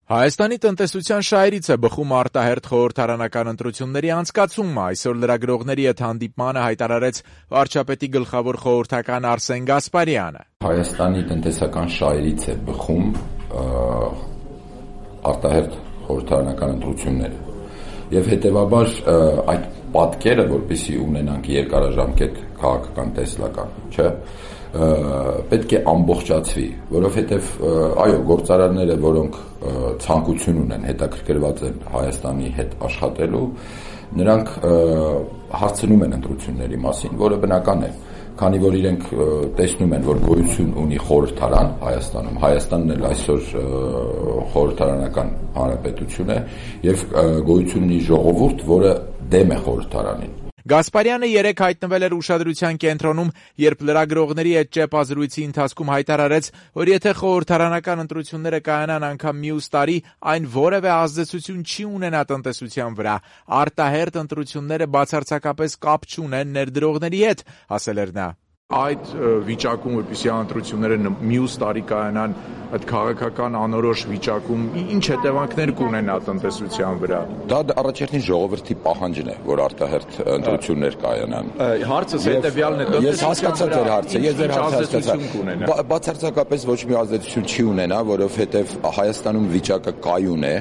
Հայաստանի տնտեսության շահերից է բխում արտահերթ խորհրդարանական ընտրությունների անցկացումը։ Այսօր լրագրողների հետ հանդիպմանը հայտարարեց վարչապետի գլխավոր խորհրդական Արսեն Գասպարյանը։ Հայաստանի տնտեսական շահերից է բխում արտահերթ խորհրդարանական ընտրությունները։ Եվ հետևաբար այդ պատկերը, որպեսզի ունենանք երկարաժամկետ քաղաքական տեսլական, չէ՞, պետք է ամբողջացվի, որովհետև այո, գործարանները, որոնք ցանկություն ունեն, հետաքրքրված են Հայաստանի հետ աշխատելու, նրանք հարցնում են ընտրությունների մասին, որը բնական է, քանի որ իրենք տեսնում են, որ գոյություն ունի խորհրդարան Հայաստանում, Հայաստանն էլ այսօր խորհրդարանական հանրապետություն է եւ գոյություն ունի ժողովուրդ, որը դեմ է խորհրդարանին։ Գասպարյանը երեկ հայտնվել էր ուշադրության կենտրոնում, երբ լրագրողների հետ ճեպազրույցի ընթացքում հայտարարեց, որ եթե խորհրդարանական ընտրությունները կայանան անգամ մյուս տարի, այն որևէ ազդեցություն չի ունենա տնտեսության վրա։ Արտահերթ ընտրությունները բացարձակապես կապ չունեն ներդրողների հետ, ասել էր նա։ Այդ վիճակում, որպեսզի ընտրությունները մյուս տարի կայանան, այդ քաղաքական անորոշ վիճակում ինչ հետևանքներ կունենա տնտեսության վրա։ Դա առաջերտին ժողովրդի պահանջն է, որ արտահերթ ընտրություններ կայանան։ Հարցս հետևյալն է, ես հասկացա ձեր հարցը, ես ձեր հարցը հասկացա։ Բացարձակապես ոչ մի ազդեցություն չի ունենա, որովհետև Հայաստանում վիճակը կայուն է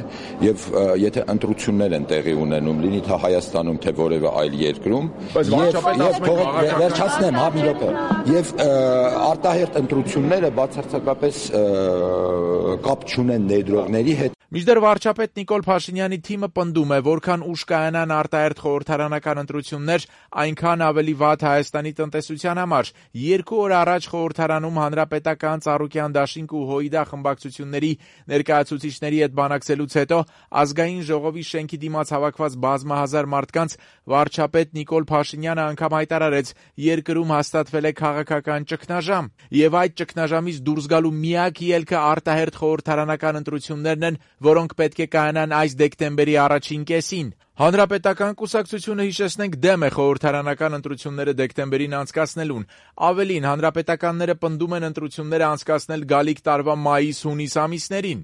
եւ եթե ընտրություններ են տեղի ունենում, լինի թե Հայաստանում, թե որևէ այլ երկրում, վերջացնեմ, հա մի րոպե։ Եվ արտահերթ ընտրությունները բացարձակապես կապ չունեն ներդրողների հետ։ Մինչդեռ վարչապետ Նիկոլ Փաշինյանի թիմը պնդում է, որքան ուշ կայանան արտահերթ խորհրդարանական ընտրություններ, այնքան ավելի վատ Հայաստանի տնտեսության համար։ 2 օր առաջ խորհրդարանում Հանրապետական, Ծառուկյան դաշինք ու ՀՅԴ խմբակցությունների ներկայացուցիչների հետ բանակցելուց հետո Ազգային ժողովի շենքի դիմաց հավաքված բազմահազար մարդկանց վարչապետ Նիկոլ Փաշինյանը անգամ հայտարարեց, երկրում հաստատվել է քաղաքական ճգնաժամ, եւ այդ ճգնաժամից դուրս գալու միակ ելքը արտահերթ խորհրդարանական ընտրություններն են, որոնք պետք է կայանան այս դեկտեմբերի առաջին կեսին։ Հանրապետական կուսակցությունը, հիշեցնենք, դեմ է խորհրդարանական ընտրությունները դեկտեմբերին անցկացնելուն։ Ավելին, հանրապետականները պնդում են ընտրությունները անցկացնել գալիք տարվա մայիս-հունիս ամիսներին։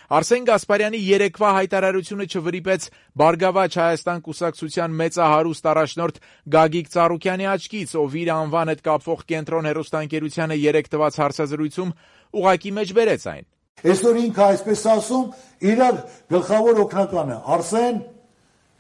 Արսեն Գասպարյանի երեկվա հայտարարությունը չվրիպեց Բարգավաճ Հայաստան կուսակցության մեծահարուստ առաջնորդ Գագիկ Ծառուկյանի աչքից, ով իր անվան հետ կապվող Կենտրոն հեռուստաընկերությանը երեկ տված հարցազրույցում ուղղակի մեջ բերեց այն։ Այսօր ինքը այսպես ասում, իրար գլխավոր օգնականը Արսեն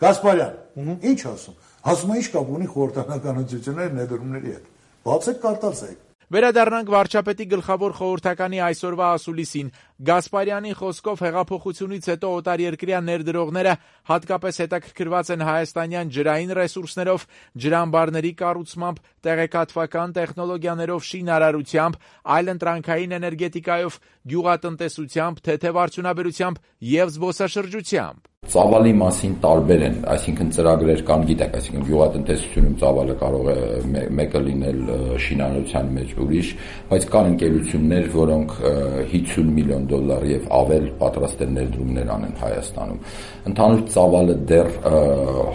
Գասպարյան, ինչ ասում։ Ասում է ինչ կապ ունի խորհրդարանական ընտրությունների ներդրումների հետ։ Բացեք կարտացեք։ Վերադառնանք վարչապետի գլխավոր խորհրդականի այսօրվա ասուլիսին։ Գասպարյանի խոսքով հեղափոխությունից հետո օտարերկրյա ներդրողները հատկապես հետաքրքրված են հայաստանյան ջրային ռեսուրսներով, ջրամբարների կառուցմամբ, տեղեկատվական տեխնոլոգիաներով, շինարարությամբ, այլընտրանքային էներգետիկայով, գյուղատնտեսությամբ, թեթև արդյունաբերությամբ եւ զբոսաշրջությամբ։ Ծավալի մասին տարբեր են, այսինքն ծրագրեր կան, գիտեք, այսինքն գյուղատնտեսությունում ծավալը կարող է մեկը լինել շինարարության մեջ ուրիշ, բայց կան ընկերություններ, որոնք $50 միլիոն եւ ավել պատրաստ են ներդրումներ անեն Հայաստանում։ Ընդհանուր ծավալը դեռ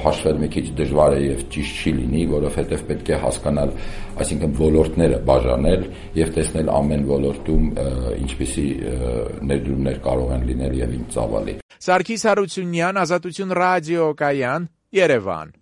հաշվել մի քիչ դժվար է եւ ճիշտ չի լինի, որովհետեւ պետք է հասկանալ, այսինքն ոլորտները բաժանել եւ տեսնել ամեն ոլորտում ինչպիսի ներդրումներ կարող են լինել եւ ինչ ծավալի։ Սարգիս Հարությունյան, Ազատություն ռադիոկայան, Երևան։